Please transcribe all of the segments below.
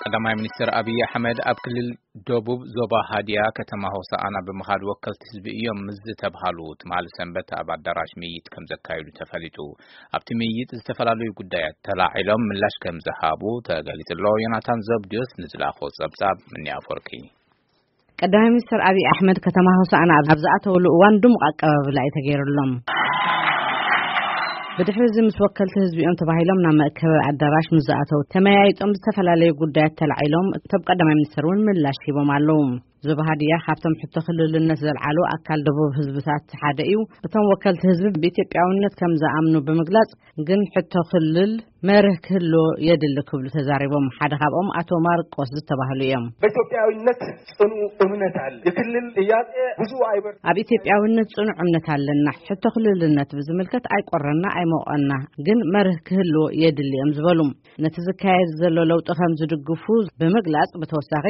ቀዳማይ ሚኒስትር ኣብይ ኣሕመድ ኣብ ክልል ደቡብ ዞባ ሃዲያ ከተማ ሆሳኣና ብምኻድ ወከልቲ ህዝቢ እዮም ምስ ዝተብሃሉ ትማሊ ሰንበት ኣብ ኣዳራሽ ምይይጥ ከም ዘካየዱ ተፈሊጡ። ኣብቲ ምይይጥ ዝተፈላለዩ ጉዳያት ተላዒሎም ምላሽ ከም ዝሃቡ ተገሊጹ ኣሎ። ዮናታን ዘብድዮስ ንዝለኣኾ ጸብጻብ ምኒ ኣፈወርቂ። ቀዳማይ ሚኒስትር ኣብይ ኣሕመድ ከተማ ሆሳኣና ኣብ ዝኣተውሉ እዋን ድሙቕ ኣቀባብላ እዩ ተገይሩሎም። ብድሕሪ እዚ ምስ ወከልቲ ህዝቢኦም ተባሂሎም ናብ መእከቢ ኣዳራሽ ምስ ዝኣተው ተመያይጦም ዝተፈላለዩ ጉዳያት ተላዒሎም እቶም ቀዳማይ ሚኒስትር እውን ምላሽ ሂቦም ኣለዉ። ዞባ ሃዲያ ካብቶም ሕቶ ክልልነት ዘልዓሉ ኣካል ደቡብ ህዝብታት ሓደ እዩ። እቶም ወከልቲ ህዝቢ ብኢትዮጵያውነት ከም ዝኣምኑ ብምግላጽ ግን ሕቶ ክልል መርህ ክህልዎ የድሊ ክብሉ ተዛሪቦም። ሓደ ካብኦም ኣቶ ማርቆስ ዝተባህሉ እዮም። በኢትዮጵያዊነት ጽኑ እምነት አለ። የክልል ጥያቄ ብዙ አይበር ኣብ ኢትዮጵያውነት ጽኑዕ እምነት ኣለና። ሕቶ ክልልነት ብዝምልከት ኣይቆረና ኣይሞቐና፣ ግን መርህ ክህልዎ የድሊ እዮም ዝበሉ። ነቲ ዝካየድ ዘሎ ለውጢ ከም ዝድግፉ ብምግላጽ ብተወሳኺ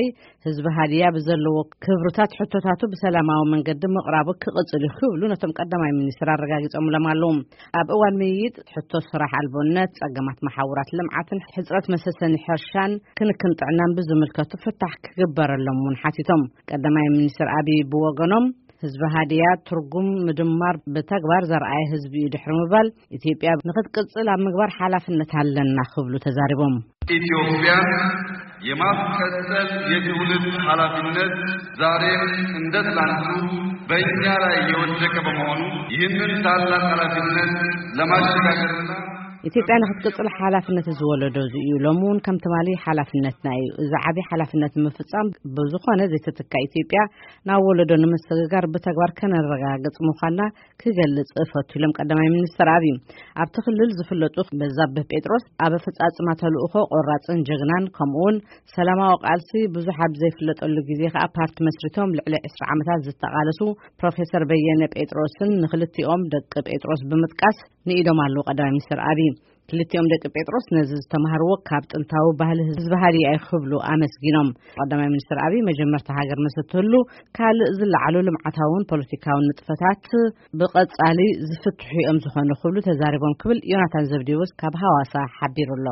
ህዝቢ ሃዲያ ብዘለዎ ክብርታት ሕቶታቱ ብሰላማዊ መንገዲ ምቕራቡ ክቕጽል እዩ ክብሉ ነቶም ቀዳማይ ሚኒስትር ኣረጋጊጾምሎም ኣለዉ። ኣብ እዋን ምይይጥ ሕቶ ስራሕ ኣልቦነት፣ ጸገማት መሓውራት ልምዓትን ሕጽረት መሰሰኒ ሕርሻን ክንክን ጥዕናን ብዝምልከቱ ፍታሕ ክግበረሎም እውን ሓቲቶም። ቀዳማይ ሚኒስትር ኣብይ ብወገኖም ህዝቢ ሃዲያ ትርጉም ምድማር ብተግባር ዘርኣየ ህዝቢ እዩ ድሕሪ ምባል ኢትዮጵያ ንክትቅጽል ኣብ ምግባር ሓላፍነት ኣለና ክብሉ ተዛሪቦም። ኢትዮጵያን የማስቀጠል የትውልድ ኃላፊነት ዛሬም እንደ ትላንቱ በእኛ ላይ የወደቀ በመሆኑ ይህንን ታላቅ ኃላፊነት ለማሸጋገርና ኢትዮጵያ ንክትቅጽል ሓላፍነት እዚ ወለዶ እዚ እዩ። ሎሚ እውን ከም ትማሊ ሓላፍነትና እዩ። እዚ ዓቢ ሓላፍነት ንምፍጻም ብዝኾነ ዘይተትካ ኢትዮጵያ ናብ ወለዶ ንምስግጋር ብተግባር ከነረጋግጽ ምዃንና ክገልጽ እፈቱ ኢሎም ቀዳማይ ሚኒስትር ኣብይ። ኣብቲ ክልል ዝፍለጡ በዛብህ ጴጥሮስ ኣብ ኣፈጻጽማ ተልእኾ ቆራጽን ጀግናን ከምኡ እውን ሰላማዊ ቃልሲ ብዙሕ ኣብ ዘይፍለጠሉ ግዜ ከኣ ፓርቲ መስሪቶም ልዕሊ ዕስራ ዓመታት ዝተቓለሱ ፕሮፌሰር በየነ ጴጥሮስን ንክልቲኦም ደቂ ጴጥሮስ ብምጥቃስ ንኢዶም ኣለዉ ቀዳማይ ሚኒስትር ኣብይ። ክልቲኦም ደቂ ጴጥሮስ ነዚ ዝተማህርዎ ካብ ጥንታዊ ባህሊ ህዝቢ ሃዲያ እዩ ክብሉ ኣመስጊኖም። ቀዳማይ ሚኒስትር ኣብይ መጀመርታ ሃገር ምስ እትህሉ ካልእ ዝለዓሉ ልምዓታውን ፖለቲካውን ንጥፈታት ብቐጻሊ ዝፍትሑ እዮም ዝኾኑ ክብሉ ተዛሪቦም ክብል ዮናታን ዘብዴዎስ ካብ ሃዋሳ ሓቢሩ ኣሎ።